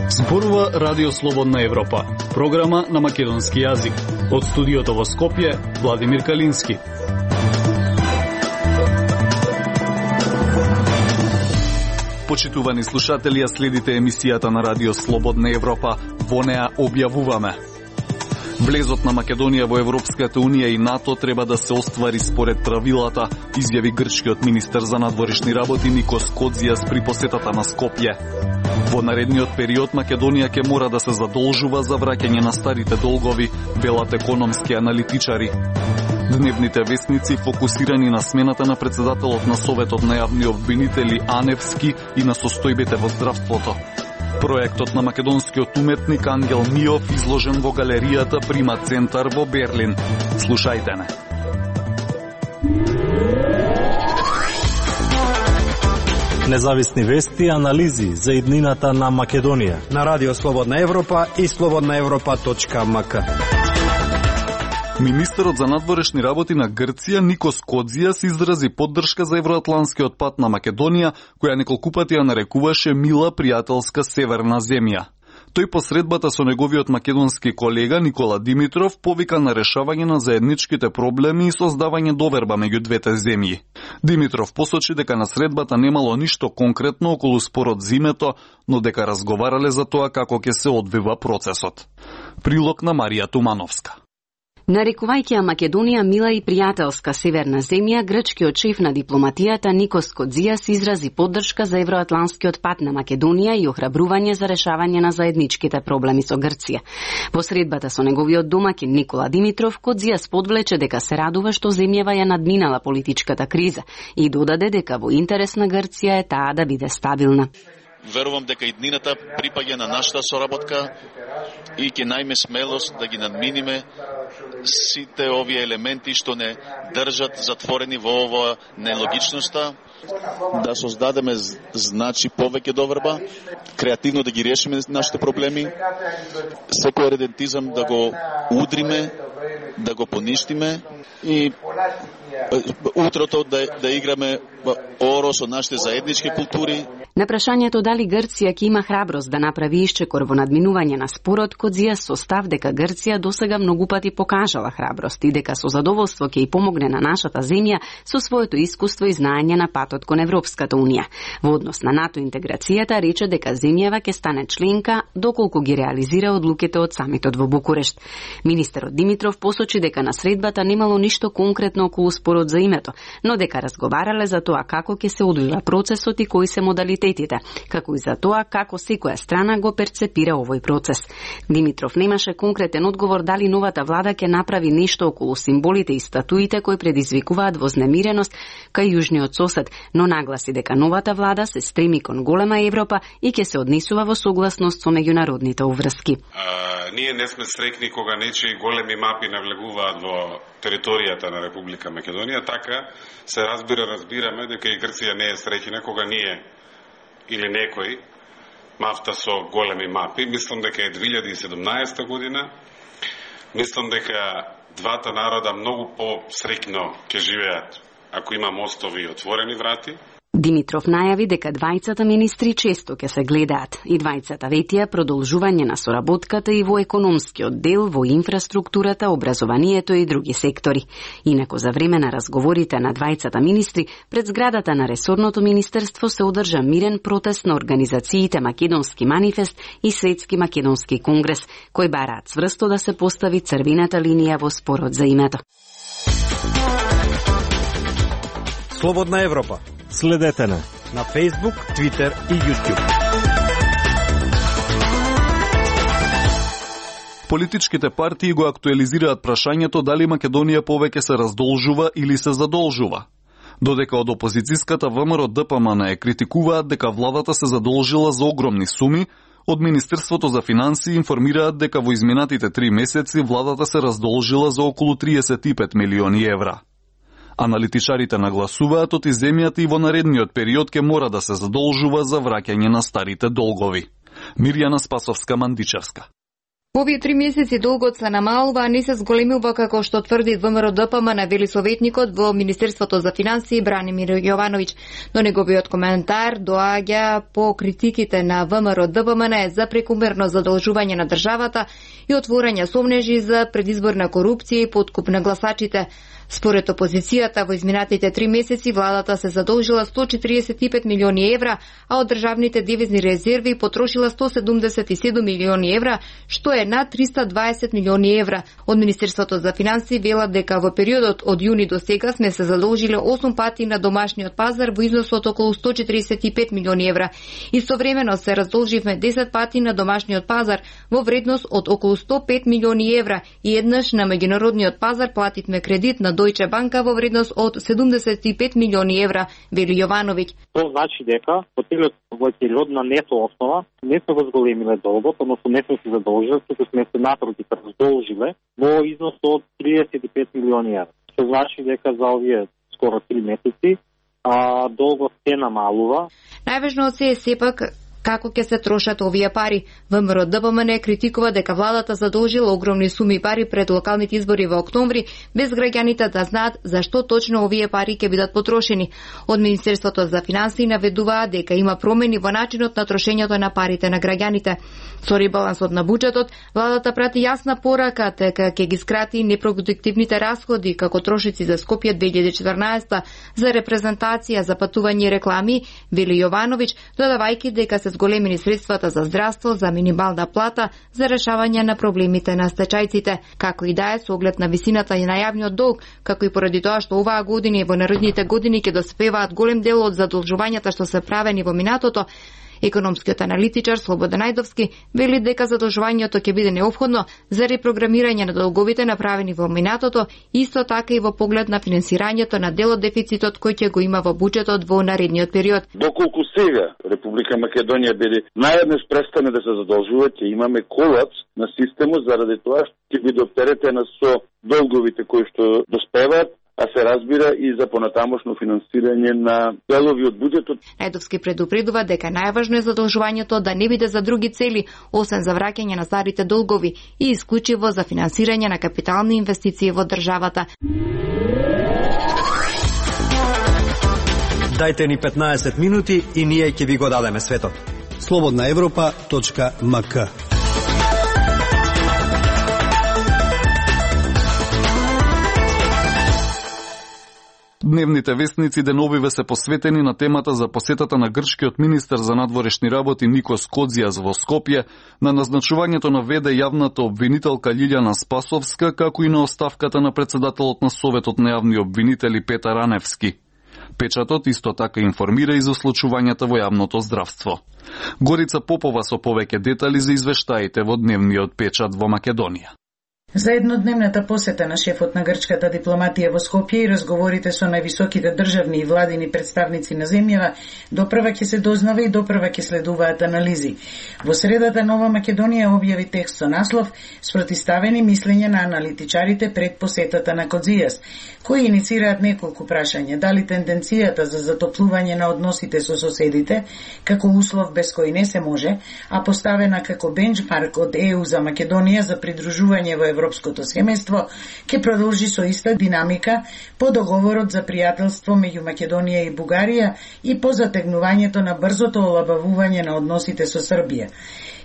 Зборува Радио Слободна Европа, програма на македонски јазик. Од студиото во Скопје, Владимир Калински. Почитувани слушатели, ја следите емисијата на Радио Слободна Европа. Во неа објавуваме: влезот на Македонија во Европската Унија и НАТО треба да се оствари според правилата, изјави грчкиот министер за надворешни работи Никос Кодзијас при посетата на Скопје. Во наредниот период Македонија ќе мора да се задолжува за враќање на старите долгови, велат економски аналитичари. Дневните вестници фокусирани на смената на председателот на Советот на јавни обвинители Аневски и на состојбите во здравството. Проектот на македонскиот уметник Ангел Миов изложен во галеријата Прима Центар во Берлин. Слушајте не. Независни вести и анализи за иднината на Македонија на Радио Слободна Европа и slobodnaevropa.mk. Министерот за надворешни работи на Грција Никос Кодзијас изрази поддршка за евроатланскиот пат на Македонија, која неколку пати ја нарекуваше мила пријателска северна земја. Тој посредбата со неговиот македонски колега Никола Димитров повика на решавање на заедничките проблеми и создавање доверба меѓу двете земји. Димитров посочи дека на средбата немало ништо конкретно околу спорот за името, но дека разговарале за тоа како ќе се одвива процесот. Прилог на Марија Тумановска. Нарекувајќи ја Македонија мила и пријателска северна земја, грчкиот шеф на дипломатијата Никос Кодзијас изрази поддршка за евроатланскиот пат на Македонија и охрабрување за решавање на заедничките проблеми со Грција. По средбата со неговиот домаќин Никола Димитров, Кодзијас подвлече дека се радува што земјава ја надминала политичката криза и додаде дека во интерес на Грција е таа да биде стабилна. Верувам дека иднината припаѓа на нашата соработка и ќе најме смелост да ги надминиме сите овие елементи што не држат затворени во ова нелогичноста, да создадеме значи повеќе доверба, креативно да ги решиме нашите проблеми, секој редентизам да го удриме, да го поништиме и утрото да играме оро со нашите заеднички култури. На прашањето дали Грција ќе има храброст да направи исчекор во надминување на спорот, Кодзијас со став дека Грција досега многу пати покажала храброст и дека со задоволство ќе и помогне на нашата земја со своето искуство и знаење на патот кон Европската Унија. Во однос на НАТО интеграцијата рече дека земјава ќе стане членка доколку ги реализира одлуките од самитот во Букурешт. Министерот Димитров посочи дека на средбата немало ништо конкретно околу спорот за името, но дека разговарале за тоа како ќе се одвива процесот и кои се модалитетите, како и за тоа како секоја страна го перцепира овој процес. Димитров немаше конкретен одговор дали новата влада ќе направи нешто околу символите и статуите кои предизвикуваат вознемиреност кај јужниот сосед, но нагласи дека новата влада се стреми кон голема Европа и ќе се однесува во согласност со меѓународните уврски. Ние не сме среќни кога нечии големи мапи навлегуваат во територијата на Република Македонија, така се разбираме дека и Грција не е среќна кога ние или некој мафта со големи мапи. Мислам дека е 2017 година. Мислам дека двата народа многу по-среќно ќе живеат ако има мостови и отворени врати. Димитров најави дека двајцата министри често ќе се гледаат и двајцата ветија продолжување на соработката и во економскиот дел, во инфраструктурата, образованието и други сектори. Инаку за време на разговорите на двајцата министри, пред зградата на ресорното министерство се одржа мирен протест на организациите Македонски манифест и Светски македонски конгрес, кои бараат цврсто да се постави црвената линија во спорот за името. Слободна Европа. Следете на Facebook, Twitter и YouTube. Политичките партии го актуализираат прашањето дали Македонија повеќе се раздолжува или се задолжува. Додека од опозицијската ВМРО ДПМН е критикуваат дека владата се задолжила за огромни суми, од Министерството за финансии информираат дека во изминатите 3 месеци владата се раздолжила за околу 35 милиони евра. Аналитичарите нагласуваат од земјата и во наредниот период ќе мора да се задолжува за враќање на старите долгови. Мирјана Спасовска-Мандичевска. Во овие 3 месеци долгот се намалува, а не се зголемува како што тврди ВМРО-ДПМН, вели советникот во Министерството за финансии Бранимир Јовановиќ. Но неговиот коментар доаѓа по критиките на ВМРО-ДПМН за прекумерно задолжување на државата и отворање сомнежи за предизборна корупција и подкуп на гласачите. Според опозицијата, во изминатите 3 месеци владата се задолжила 145 милиони евра, а од државните девизни резерви потрошила 177 милиони евра, што е над 320 милиони евра. Од Министерството за финансии велат дека во периодот од јуни до сега сме се задолжиле 8 пати на домашниот пазар во износ од околу 145 милиони евра. Истовремено се раздолживме 10 пати на домашниот пазар во вредност од околу 105 милиони евра и еднаш на меѓународниот пазар плативме кредит на Дојче банка во вредност од 75 милиони евра, вели Јовановиќ. Тоа значи дека во целиот период на нето основа не се возголемиле долгот, односно не сме се задолжиле, туку сме се напротив раздолжиле во износ од 35 милиони евра. Што значи дека за овие скоро 3 месеци долгот се намалува. Најважно од се е сепак како ќе се трошат овие пари. ВМРО-ДПМН критикува дека владата задолжила огромни суми пари пред локалните избори во октомври, без граѓаните да знаат зашто точно овие пари ќе бидат потрошени. Од Министерството за финансии наведуваат дека има промени во начинот на трошењето на парите на граѓаните. Со ребалансот на буџетот, владата прати јасна порака дека ќе ги скрати непродуктивните расходи како трошици за Скопје 2014 за репрезентација, за патување и реклами, вели Јовановиќ, додавајќи дека се зголемени средствата за здравство, за минимална плата, за решавање на проблемите на стечајците, како и да е со оглед на висината и на јавниот долг, како и поради тоа што оваа година и во наредните години ќе доспеваат голем дел од задолжувањата што се правени во минатото. Економскиот аналитичар Слободан Најдовски вели дека задолжувањето ќе биде неопходно за репрограмирање на долговите направени во минатото, исто така и во поглед на финансирањето на дел од дефицитот кој ќе го има во буџетот во наредниот период. Доколку сега Република Македонија биде наједнаш престане да се задолжува, ќе имаме колапс на системот заради тоа што ќе биде оптеретена со долговите кои што доспеваат, а се разбира и за понатамошно финансирање на делови од буџетот. Најдовски предупредува дека најважно е задолжувањето да не биде за други цели, освен за враќање на старите долгови и исклучиво за финансирање на капитални инвестиции во државата. Дајте ни 15 минути и ние ќе ви го дадеме светот. slobodnaevropa.mk. Дневните вестници деновиве се посветени на темата за посетата на грчкиот министер за надворешни работи Никос Кодзијас во Скопје, на назначувањето на ВД јавната обвинителка Лилјана Спасовска, како и на оставката на председателот на Советот на јавни обвинители Петар Аневски. Печатот исто така информира и за случувањата во јавното здравство. Горица Попова со повеќе детали за извештаите во дневниот печат во Македонија. За еднодневната посета на шефот на грчката дипломатија во Скопје и разговорите со највисоките државни и владини представници на земјава, допрва ќе се дознава и допрва ќе следуваат анализи. Во средата Нова Македонија објави текст со наслов "Спротиставени мислења на аналитичарите пред посетата на Кодзијас", кои иницираат неколку прашања: дали тенденцијата за затоплување на односите со соседите, како услов без кој не се може, а поставена како бенчмарк од ЕУ за Македонија за придружување во Европското семејство, ќе продолжи со иста динамика по договорот за пријателство меѓу Македонија и Бугарија и по затегнувањето на брзото олабавување на односите со Србија.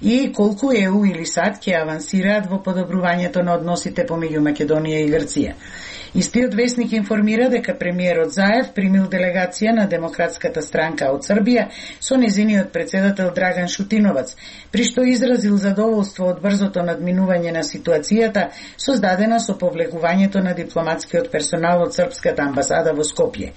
И колку ЕУ или САД ќе авансираат во подобрувањето на односите помеѓу Македонија и Грција. Истиот вестник информира дека премиерот Заев примил делегација на Демократската странка од Србија со незиниот председател Драган Шутиновац, при што изразил задоволство од брзото надминување на ситуацијата создадена со повлегувањето на дипломатскиот персонал од Српската амбасада во Скопје.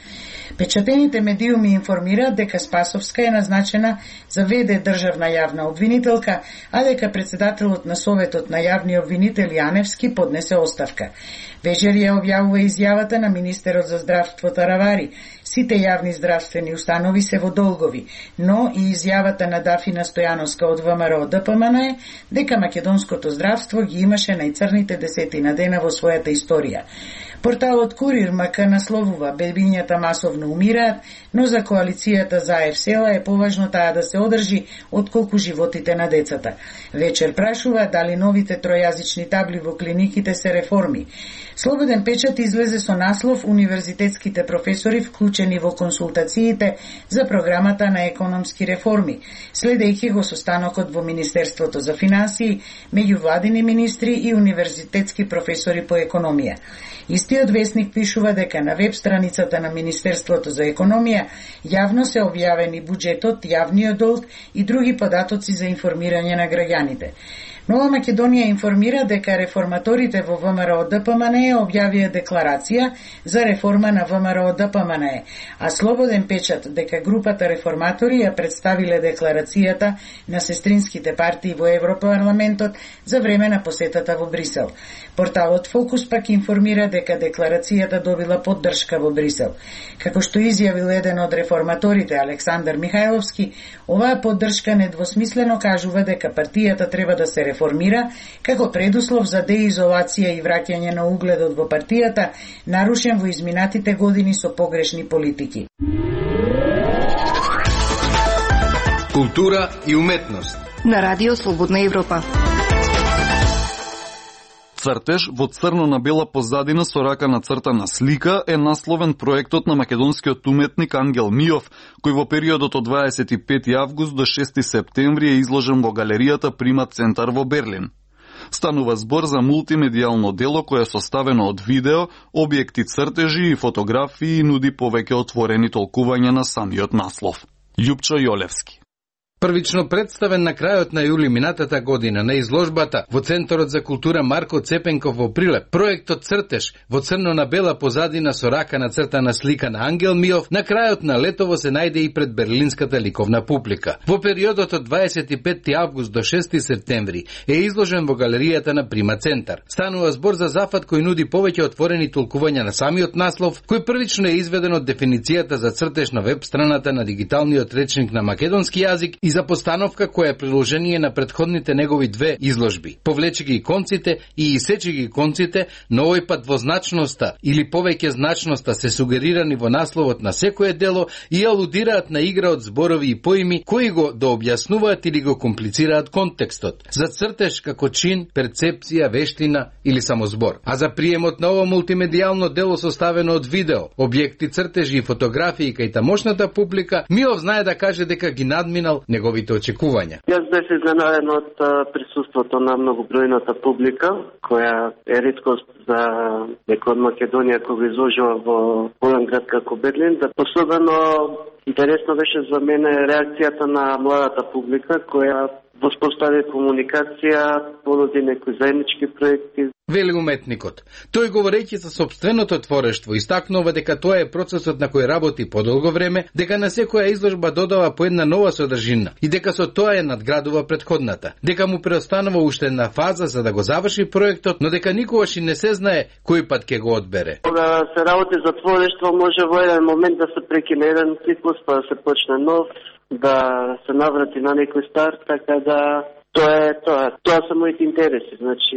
Печатените медиуми информираат дека Спасовска е назначена за ВД државна јавна обвинителка, а дека председателот на Советот на јавни обвинители Аневски поднесе оставка. Вечер ја објавува изјавата на министерот за здравство Таравари. Сите јавни здравствени установи се во долгови, но и изјавата на Дафина Стојановска од ВМРО ДПМН е дека македонското здравство ги имаше најцрните десетина дена во својата историја. Порталот Курир МК насловува: бебињата масовно умираат, но за коалицијата за ЕФСЕЛА е поважно таа да се одржи отколку животите на децата. Вечер прашува дали новите тројазични табли во клиниките се реформи. Слободен печат излезе со наслов: универзитетските професори вклучени во консултациите за програмата на економски реформи, следејќи го состанокот во Министерството за финансии меѓу владини министри и универзитетски професори по економија. Истиот весник пишува дека на веб страницата на Министерството за економија јавно се објавени буџетот, јавниот долг и други податоци за информирање на граѓаните. Нова Македонија информира дека реформаторите во ВМРО ДПМН објавија декларација за реформа на ВМРО ДПМН, а Слободен печат дека групата реформатори ја представиле декларацијата на сестринските партии во Европарламентот за време на посетата во Брисел. Порталот Фокус пак информира дека декларацијата добила поддршка во Брисел. Како што изјавил еден од реформаторите, Александар Михајловски, оваа поддршка недвосмислено кажува дека партијата треба да се реформира како предуслов за деизолација и враќање на угледот во партијата, нарушен во изминатите години со погрешни политики. Култура и уметност на Радио Слободна Европа. Цртеж во црно на бела позадина со рака нацртана слика е насловен проектот на македонскиот уметник Ангел Миов, кој во периодот од 25 август до 6 септември е изложен во галеријата Прима Центар во Берлин. Станува збор за мултимедијално дело кое е составено од видео, објекти цртежи и фотографии и нуди повеќе отворени толкувања на самиот наслов. Љупчо Јолевски. Првично представен на крајот на јули минатата година на изложбата во Центарот за култура Марко Цепенков во Прилеп, проектот Цртеж во црно на бела позадина со рака нацртана слика на Ангел Миов, на крајот на летово се најде и пред берлинската ликовна публика. Во периодот од 25 август до 6 септември е изложен во галеријата на Прима Центар. Станува збор за зафат кој нуди повеќе отворени толкувања на самиот наслов, кој првично е изведен од дефиницијата за цртеж на веб страната на дигиталниот речник на македонски јазик и за постановка која е приложение на претходните негови две изложби. Повлечи ги конците и исечи ги конците, но овој пат двозначноста или повеќе значноста се сугерирани во насловот на секое дело и алудираат на игра од зборови и поими кои го дообјаснуваат или го комплицираат контекстот. За цртеж како чин, перцепција, вештина или само збор. А за приемот на ово мултимедијално дело составено од видео, објекти, цртежи и фотографии кај тамошната публика, Миов знае да каже дека ги надминал неговите очекувања. Јас бев изненаden од присуството на многобројната публика, која е реткост за некој од Македонија кој го изложува во голем град како Берлин. Особено интересно беше за мене реакцијата на младата публика која воспостави комуникација, понуди некои заеднички проекти. Вели уметникот. Тој говорејќи за сопственото творештво, истакнува дека тоа е процесот на кој работи подолго време, дека на секоја изложба додава по една нова содржина и дека со тоа е надградува претходната. Дека му преостанува уште една фаза за да го заврши проектот, но дека никогаш и не се знае кој пат ќе го одбере. Кога се работи за творештво, може во еден момент да се прекине еден циклус, па да се почне нов, да се наврати на некој старт, така да Тоа се моите интереси, значи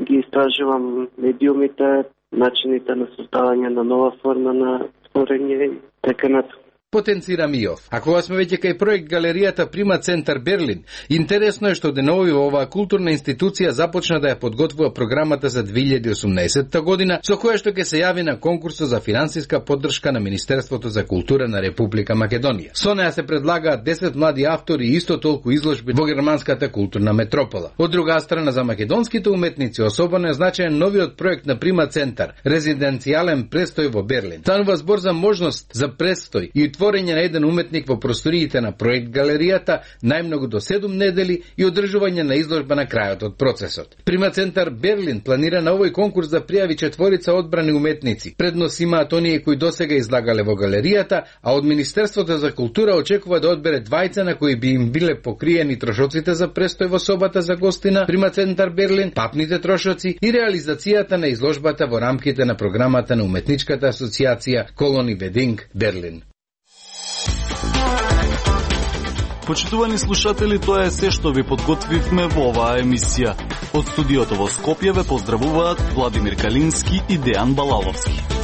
ги истражувам медиумите, начините на создавање на нова форма на творење и така натаму. Потенцира Миов. А кога сме веќе кај проект галеријата Прима Центар Берлин, интересно е што денови оваа културна институција започна да ја подготвува програмата за 2018 година, со која што ќе се јави на конкурсот за финансиска поддршка на Министерството за култура на Република Македонија. Со неа се предлагаат 10 млади автори и исто толку изложби во германската културна метропола. Од друга страна, за македонските уметници особено е значаен новиот проект на Прима Центар, резиденцијален престој во Берлин. Станува збор за можност за престој и затворење на еден уметник во просториите на проект галеријата најмногу до 7 недели и одржување на изложба на крајот од процесот. Примацентар Берлин планира на овој конкурс да пријави 4 одбрани уметници. Преднос имаат оние кои досега излагале во галеријата, а од Министерството за култура очекува да одбере 2 на кои би им биле покриени трошоците за престој во собата за гостина Примацентар Берлин, папните трошоци и реализацијата на изложбата во рамките на програмата на Уметничката асоциација Колони Вединг Берлин. Почитувани слушатели, тоа е се што ви подготвивме во оваа емисија. Од студиото во Скопје ве поздравуваат Владимир Калински и Дејан Балаловски.